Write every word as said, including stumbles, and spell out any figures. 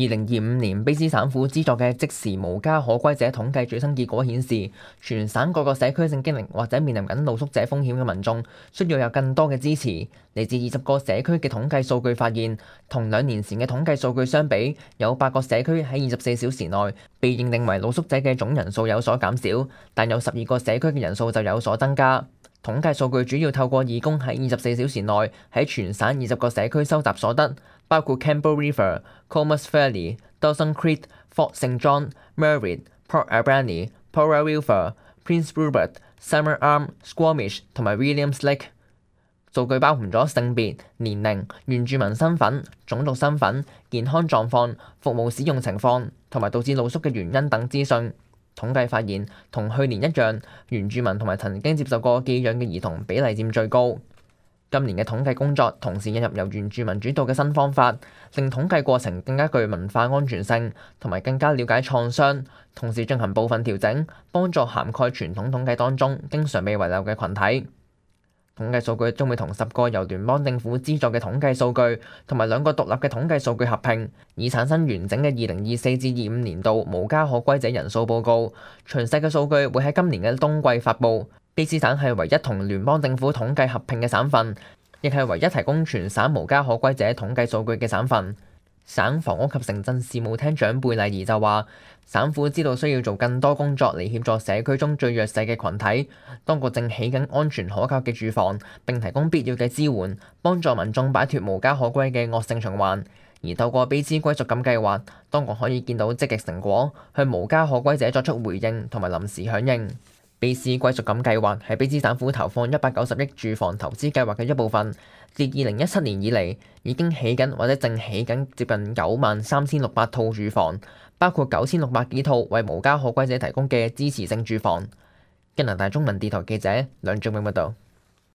二零二五年卑詩省府資助嘅即時無家可歸者統計最新結果顯示，全省各個社區正經歷或者面臨緊露宿者風險嘅民眾，需要有更多嘅支持。嚟自二十個社區嘅統計數據發現，同兩年前嘅統計數據相比，有八個社區喺二十四小時內被認定為露宿者嘅總人數有所減少，但有十二個社區嘅人數就有所增加。統計數據主要透過義工喺二十四小時內喺全省二十個社區收集所得，包括 Campbell River、Comus Valley、Dawson Creek、Fort Saint John、Merritt、Port Alberni、Porter River、Prince Rupert、Summer Arm、Squamish 同埋 Williams Lake。數據包含咗性別、年齡、原住民身份、種族身份、健康狀況、服務使用情況同埋導致露宿嘅原因等資訊。統計發現，同去年一樣，原住民同埋曾經接受過寄養嘅兒童比例佔最高。今年嘅統計工作同時引入由原住民主導嘅新方法，令統計過程更加具文化安全性，同埋更加了解創傷，同時進行部分調整，幫助涵蓋傳統統計當中經常被遺漏嘅群體。統計數據將會同十個由聯邦政府資助嘅統計數據，同埋兩個獨立嘅統計數據合併，以產生完整嘅二零二四至二五年度無家可歸者人數報告。詳細嘅數據會喺今年嘅冬季發布。卑詩省係唯一同聯邦政府統計合併嘅省份，亦係唯一提供全省無家可歸者統計數據嘅省份。省房屋及城鎮事務廳長貝麗儀就話，省府知道需要做更多工作嚟協助社區中最弱勢嘅群體，當局正起緊安全可靠嘅住房，並提供必要嘅支援，幫助民眾擺脫無家可歸嘅惡性循環。而透過卑詩歸屬感計劃，當局可以見到積極成果，向無家可歸者作出回應同埋臨時響應。卑詩歸屬感計劃係卑詩省府投放一百九十億住房投資計劃嘅一部分，自二零一七年以嚟已經起緊或者正起緊接近九萬三千六百套住房，包括九千六百幾套為無家可歸者提供嘅支持性住房。加拿大中文電台記者梁仲永報道。